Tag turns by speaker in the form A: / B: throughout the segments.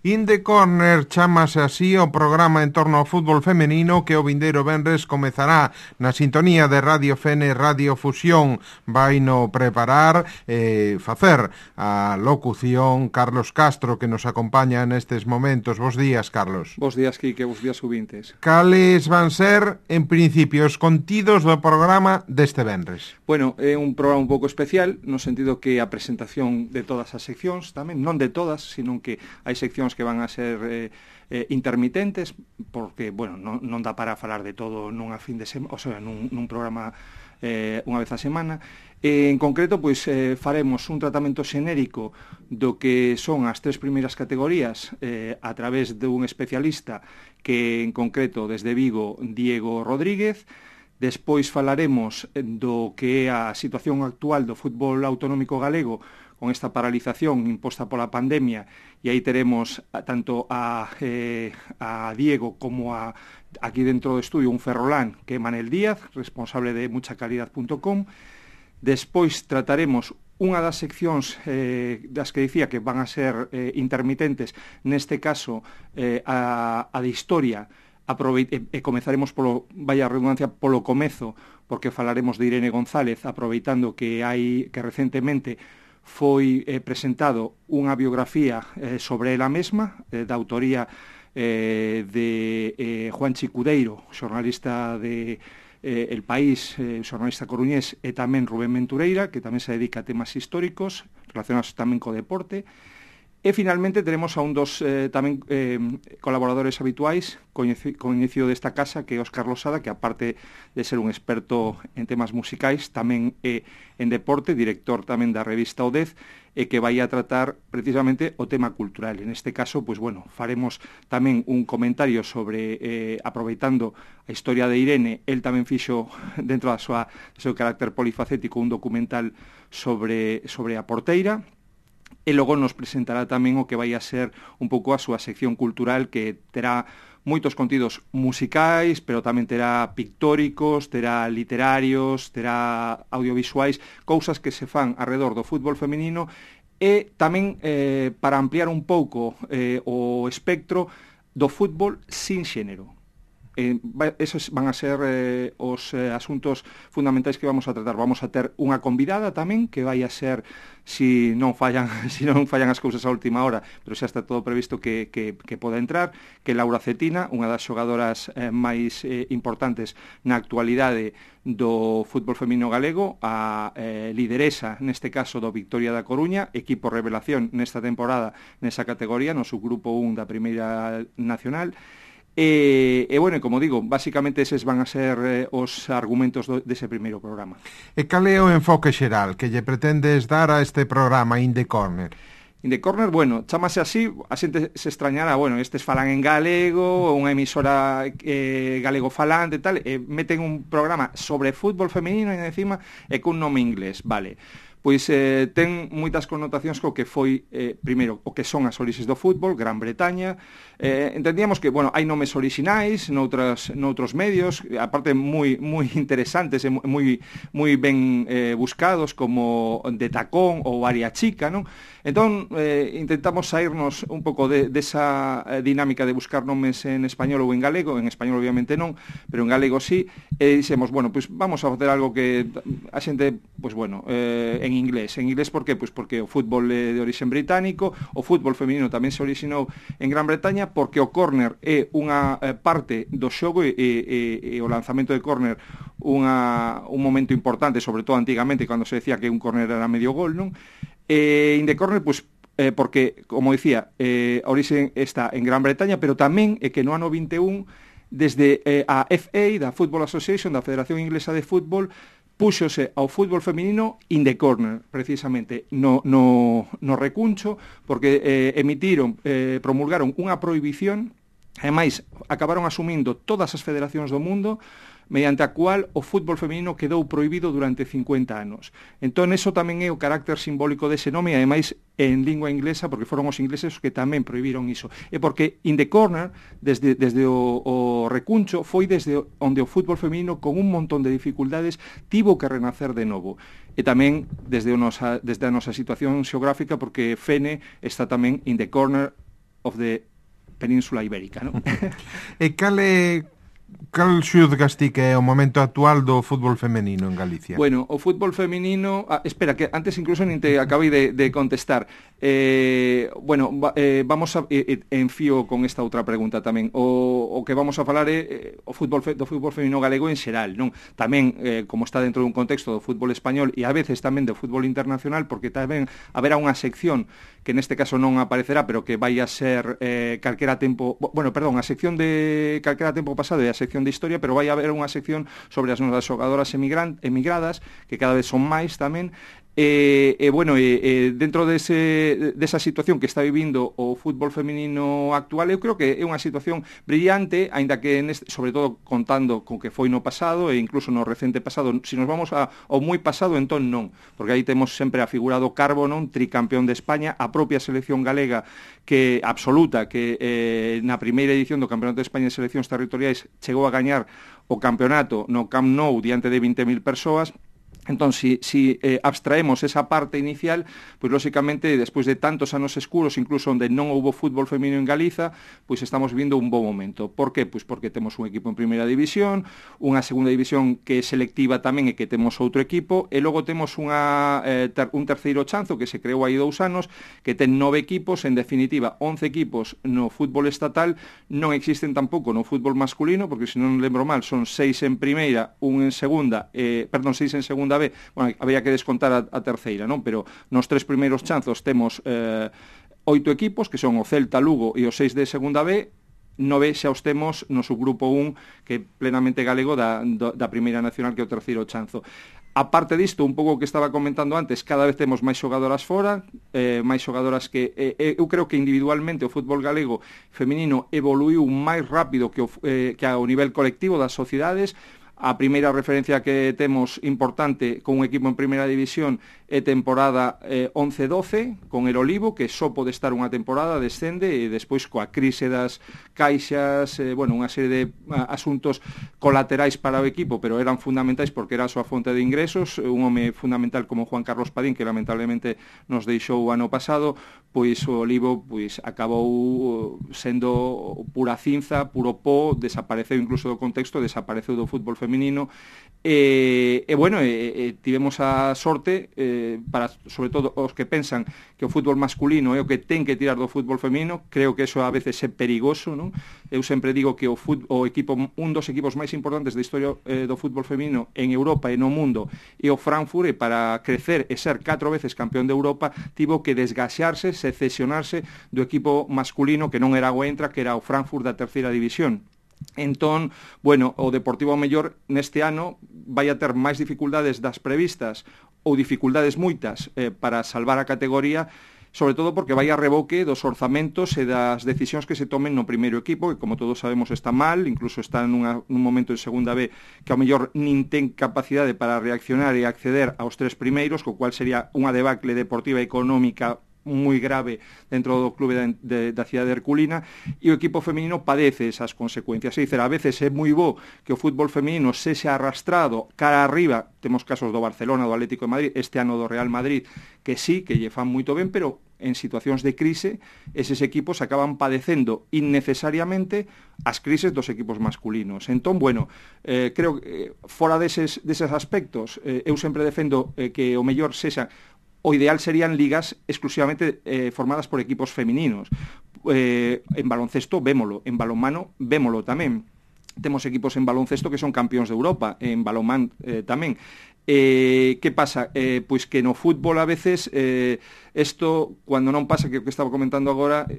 A: In the Corner chamase así o programa en torno ao fútbol femenino que o vindeiro venres comezará na sintonía de Radio Fene Radio Fusión. Vai no preparar facer a locución Carlos Castro, que nos acompaña nestes momentos. Bos días, Carlos.
B: Bos días, Quique, bos días, subintes.
A: Cales van ser, en principio, os contidos do programa deste venres?
B: Bueno, é un programa un pouco especial, no sentido que a presentación de todas as seccións, tamén, non de todas, sino que hai seccións que van a ser intermitentes, porque, bueno, non dá para falar de todo nunha fin de semana, o sea, nun programa unha vez a semana. En concreto, pois, faremos un tratamento xenérico do que son as tres primeiras categorías a través dun especialista que, en concreto, desde Vigo, Diego Rodríguez. Despois falaremos do que é a situación actual do fútbol autonómico galego con esta paralización imposta pola pandemia, e aí teremos tanto a Diego como aquí dentro do estudio un ferrolán que é Manel Díaz, responsable de muchacalidad.com. Despois trataremos unha das seccións das que dicía que van a ser intermitentes, neste caso a de historia, e comezaremos polo, vaya redundancia, polo comezo, porque falaremos de Irene González, aproveitando que recentemente foi presentado unha biografía sobre ela mesma, da autoría de Juan Chicudeiro, xornalista de El País, xornalista coruñés, e tamén Rubén Ventureira, que tamén se dedica a temas históricos relacionados tamén co deporte. E finalmente teremos a un dos tamén colaboradores habituais, coñecido desta casa, que é Óscar Losada, que aparte de ser un experto en temas musicais, tamén é en deporte, director tamén da revista O 10, e que vai a tratar precisamente o tema cultural. En este caso, pois bueno, faremos tamén un comentario sobre, aproveitando a historia de Irene, el tamén fixo, dentro do seu carácter polifacético, un documental sobre a porteira. E logo nos presentará tamén o que vai a ser un pouco a súa sección cultural, que terá moitos contidos musicais, pero tamén terá pictóricos, terá literarios, terá audiovisuais, cousas que se fan alrededor do fútbol feminino, e tamén para ampliar un pouco o espectro do fútbol sin xénero. Esos van a ser os asuntos fundamentais que vamos a tratar. Vamos a ter unha convidada tamén, que vai a ser, si non fallan as cousas a última hora, pero xa está todo previsto que poda entrar, que é Laura Cetina, unha das xogadoras máis importantes na actualidade do fútbol feminino galego, a lideresa, neste caso, do Victoria da Coruña, equipo revelación nesta temporada nesa categoría, no subgrupo 1 da Primeira Nacional. E bueno, como digo, basicamente eses van a ser os argumentos dese primeiro programa.
A: E cal é o enfoque xeral que lle pretendes dar a este programa In the Corner?
B: In the Corner, bueno, chamase así, a xente se extrañará, bueno, estes falan en galego, unha emisora galego falante e tal, e meten un programa sobre fútbol femenino e encima e cun nome inglés, vale. Pois ten moitas connotacións co que foi, primeiro, o que son as orixes do fútbol, Gran Bretaña. Entendíamos que, bueno, hai nomes orixinais noutros medios, aparte moi interesantes e moi ben buscados, como De Tacón ou Aria Chica, non? Entón, intentamos sairnos un pouco desa dinámica de buscar nomes en español ou en galego, en español obviamente non, pero en galego sí, e dixemos, bueno, pois vamos a facer algo que a xente, pois bueno, en inglés. En inglés por qué? Pois porque o fútbol é de origen británico, o fútbol feminino tamén se orixinou en Gran Bretaña, porque o córner é unha parte do xogo, e o lanzamento de córner un momento importante, sobre todo antigamente, cando se decía que un córner era medio gol, non? In the Corner, pois, porque, como dicía, a orixe está en Gran Bretaña, pero tamén é que no ano 21, desde a FA, da Football Association, da Federación Inglesa de Fútbol, púxose ao fútbol feminino in the corner, precisamente no recuncho, porque promulgaron unha prohibición, ademais acabaron asumindo todas as federacións do mundo, mediante a cual o fútbol feminino quedou prohibido durante 50 anos. Entón, eso tamén é o carácter simbólico dese nome, e ademais en lingua inglesa, porque foron os ingleses os que tamén prohibiron iso. E porque in the corner, desde o recuncho, foi desde onde o fútbol feminino, con un montón de dificultades, tivo que renacer de novo. E tamén desde a nosa situación xeográfica, porque Fene está tamén in the corner of the Península Ibérica, non?
A: E cal xudgas ti que é o momento actual do fútbol femenino en Galicia?
B: Bueno, o fútbol femenino... espera, que antes incluso nin te acabei de contestar. Vamos a... enfío con esta outra pregunta tamén. O que vamos a falar é do fútbol femenino galego en xeral, non? Tamén, como está dentro dun contexto do fútbol español e a veces tamén do fútbol internacional, porque tamén haberá unha sección que neste caso non aparecerá, pero que vai a ser calquera tempo... a sección de calquera tempo pasado e a sección de historia, pero vai a haber unha sección sobre as nosas xogadoras emigradas, que cada vez son máis tamén, dentro desa situación que está vivindo o fútbol feminino actual, eu creo que é unha situación brillante, aínda que sobre todo contando con que foi no pasado e incluso no recente pasado. Se nos vamos ao moi pasado, entón non, porque aí temos sempre a figura do Carbo, non, tricampeón de España, a propia selección galega que absoluta, que na primeira edición do Campeonato de España de Seleccións Territoriais chegou a gañar o campeonato no Camp Nou diante de 20.000 persoas. Entón, si abstraemos esa parte inicial, pois lóxicamente, despois de tantos anos escuros, incluso onde non houbo fútbol feminino en Galiza, pois estamos vivindo un bo momento. Por que? Pois porque temos un equipo en primeira división, unha segunda división que é selectiva tamén e que temos outro equipo, e logo temos un terceiro chanzo que se creou aí 2 anos, que ten 9 equipos, en definitiva 11 equipos no fútbol estatal, non existen tampouco no fútbol masculino, porque se non lembro mal, son 6 en primeira, 6 en segunda B, habría que descontar a terceira, non? Pero nos 3 primeiros chanzos temos 8 equipos, que son o Celta, Lugo e os 6 de segunda B. 9 xa os temos no subgrupo 1, que é plenamente galego da primeira nacional, que é o terceiro chanzo. A parte disto, un pouco que estaba comentando antes, cada vez temos máis xogadoras fora, máis xogadoras que... eu creo que individualmente o fútbol galego feminino evoluiu máis rápido que ao nivel colectivo das sociedades. A primeira referencia que temos importante con un equipo en primeira división é temporada 11-12 con el Olivo, que só pode estar unha temporada, descende, e despois coa crise das caixas, unha serie de asuntos colaterais para o equipo, pero eran fundamentais porque era a súa fonte de ingresos. Un home fundamental como Juan Carlos Padín, que lamentablemente nos deixou o ano pasado, pois o Olivo acabou sendo pura cinza, puro pó, desapareceu incluso do contexto, desapareceu do fútbol feminino, tivemos a sorte, para sobre todo os que pensan que o fútbol masculino é o que ten que tirar do fútbol feminino. Creo que eso a veces é perigoso, non? Eu sempre digo que un dos equipos máis importantes da historia do fútbol feminino en Europa e no mundo é o Frankfurt, e para crecer e ser 4 veces campeón de Europa tivo que desgaxarse, secesionarse do equipo masculino que non era o Eintracht, que era o Frankfurt da terceira división. Entón, o Deportivo mellor neste ano vai a ter máis dificultades das previstas, ou dificultades moitas para salvar a categoría, sobre todo porque vai a reboque dos orzamentos e das decisións que se tomen no primeiro equipo, que como todos sabemos está mal, incluso está nun momento en segunda B que ao mellor nin ten capacidade para reaccionar e acceder aos 3 primeiros, co cual sería unha debacle deportiva e económica moi grave dentro do clube da cidade de Herculina, e o equipo feminino padece esas consecuencias. É dicir, a veces é moi bo que o fútbol feminino sexa arrastrado cara arriba. Temos casos do Barcelona, do Atlético de Madrid, este ano do Real Madrid, que sí, que lle fan moito ben, pero en situacións de crise eses equipos acaban padecendo innecesariamente as crises dos equipos masculinos. Entón, creo que fora deses aspectos, eu sempre defendo que o mellor sexa... O ideal serían ligas exclusivamente formadas por equipos femininos. En baloncesto vémolo, en balonmano vémolo tamén. Temos equipos en baloncesto que son campións de Europa, en balonmán tamén. Que pasa? Pois que no fútbol a veces isto, cando non pasa, que o que estaba comentando agora,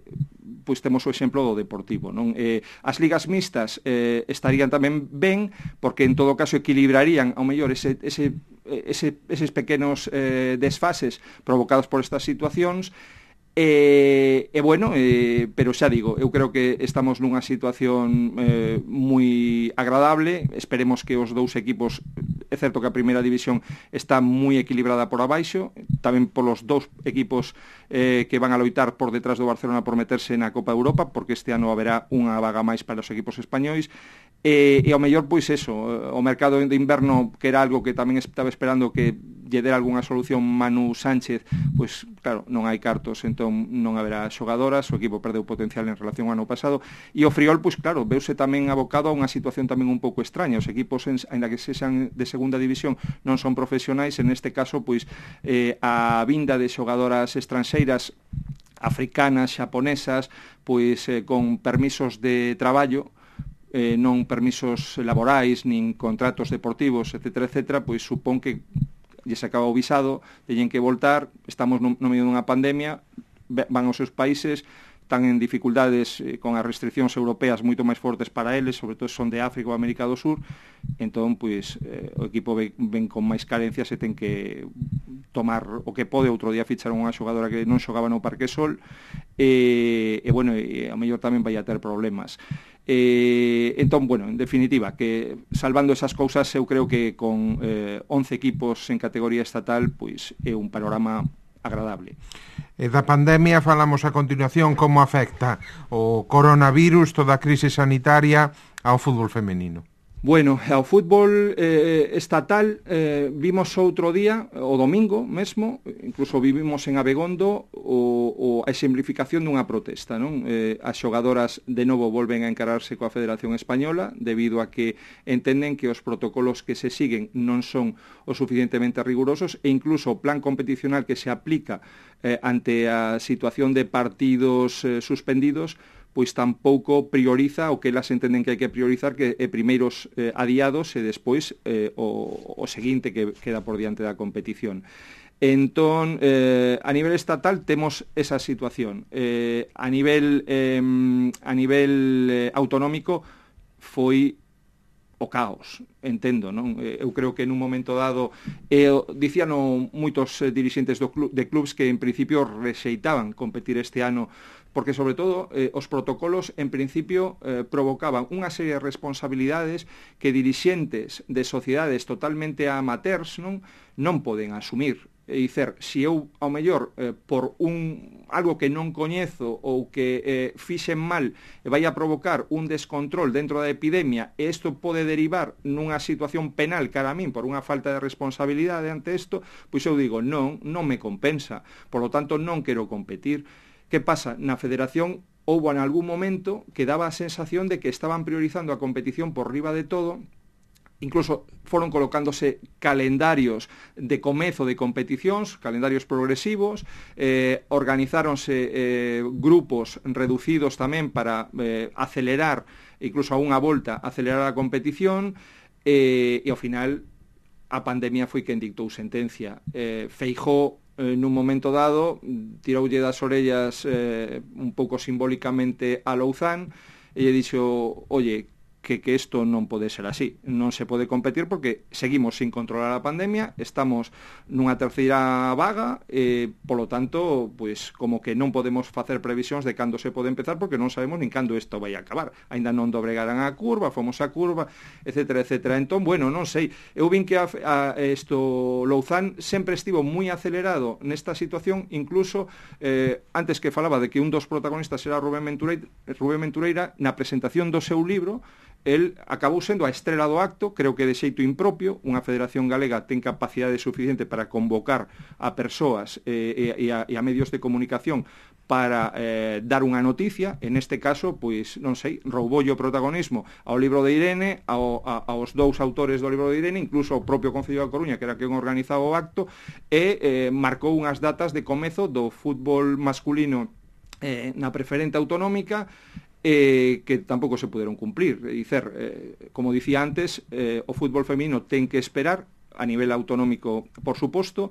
B: pois temos o exemplo do Deportivo, non? As ligas mixtas estarían tamén ben, porque en todo caso equilibrarían ao mellor eses pequenos desfases provocados por estas situacións. Pero xa digo, eu creo que estamos nunha situación moi agradable. Esperemos que os 2 equipos, é certo que a primeira división está moi equilibrada por abaixo, tamén polos 2 equipos que van a loitar por detrás do Barcelona por meterse na Copa Europa, porque este ano haberá unha vaga máis para os equipos españois. E ao mellor, pois eso, o mercado de inverno, que era algo que tamén estaba esperando que lle der algunha solución Manu Sánchez, pois claro, non hai cartos, entón non haberá xogadoras, o equipo perdeu potencial en relación ao ano pasado, e o Friol, pois claro, veuse tamén abocado a unha situación tamén un pouco extraña. Os equipos, aínda que sexan de segunda división, non son profesionais, en este caso, pois a vinda de xogadoras estranxeiras africanas, xaponesas, pois con permisos de traballo, non permisos laborais, nin contratos deportivos, etcétera, pois supón que lle se acaba o visado, teñen que voltar, estamos no medio dunha pandemia, van aos seus países, están en dificultades con as restriccións europeas moito máis fortes para eles, sobre todo son de África ou América do Sur, entón, pois, o equipo ven con máis carencias e ten que tomar o que pode. Outro día ficharon unha xogadora que non xogaba no Parque Sol, e bueno, e a mellor tamén vai a ter problemas. Entón, bueno, en definitiva, que salvando esas cousas, eu creo que con 11 equipos en categoría estatal, pois é un panorama agradable.
A: E da pandemia falamos a continuación, como afecta o coronavirus, toda a crise sanitaria ao fútbol femenino.
B: Bueno, ao fútbol estatal vimos outro día, o domingo mesmo, incluso vivimos en Abegondo a exemplificación dunha protesta, non? As xogadoras de novo volven a encararse coa Federación Española debido a que entenden que os protocolos que se siguen non son o suficientemente rigurosos, e incluso o plan competicional que se aplica ante a situación de partidos suspendidos, pois tampouco prioriza o que elas entenden que hai que priorizar, que é primeiros adiados e despois o seguinte que queda por diante da competición. Entón, a nivel estatal temos esa situación. A nivel autonómico foi o caos, entendo, non? Eu creo que nun momento dado dicíano moitos dirixentes de clubs que en principio rexeitaban competir este ano, porque sobre todo os protocolos en principio provocaban unha serie de responsabilidades que dirixentes de sociedades totalmente amateurs non poden asumir. E dicer, se eu, ao mellor, por algo que non coñezo ou que fixen mal, vai a provocar un descontrol dentro da epidemia, e isto pode derivar nunha situación penal cara a min por unha falta de responsabilidade ante isto, pois eu digo, non me compensa, por lo tanto non quero competir. Que pasa? Na federación houbo en algún momento que daba a sensación de que estaban priorizando a competición por riba de todo. Incluso foron colocándose calendarios de comezo de competicións, calendarios progresivos, organizáronse grupos reducidos tamén para acelerar, incluso a unha volta, acelerar a competición, e ao final a pandemia foi quen dictou sentencia. Feijóo, nun momento dado, tiroulle das orellas un pouco simbólicamente a Louzán e lle dixo, oye, que isto non pode ser así, non se pode competir porque seguimos sin controlar a pandemia, estamos nunha terceira vaga, polo tanto, pois como que non podemos facer previsións de cando se pode empezar porque non sabemos nin cando isto vai a acabar. Ainda non dobregarán a curva, fomos a curva, etcétera. Entón, bueno, non sei, eu vin que Louzán sempre estivo moi acelerado nesta situación, incluso antes que falaba de que un dos protagonistas era Rubén Ventureira, na presentación do seu libro, el acabou sendo a estrela do acto, creo que de xeito impropio. Unha federación galega ten capacidade suficiente para convocar a persoas e a medios de comunicación para dar unha noticia. En este caso, pois, non sei, rouboulle o protagonismo ao libro de Irene, aos dous autores do libro de Irene, incluso ao propio Concello da Coruña, que era quen organizaba o acto, e marcou unhas datas de comezo do fútbol masculino na preferente autonómica, que tampouco se puderon cumplir. Como dicía antes, o fútbol feminino ten que esperar a nivel autonómico, por suposto,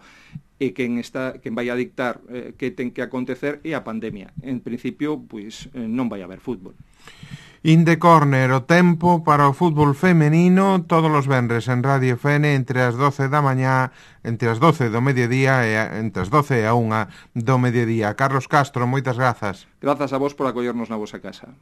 B: e quen vai a dictar que ten que acontecer é a pandemia. En principio, pois non vai haber fútbol.
A: In the Corner, o tempo para o fútbol femenino todos os venres en Radio FN entre as 12 da mañá, entre as 12 do mediodía e entre as 12 e a 1 do mediodía. Carlos Castro, moitas grazas.
B: Grazas a vos por acollernos na vosa casa.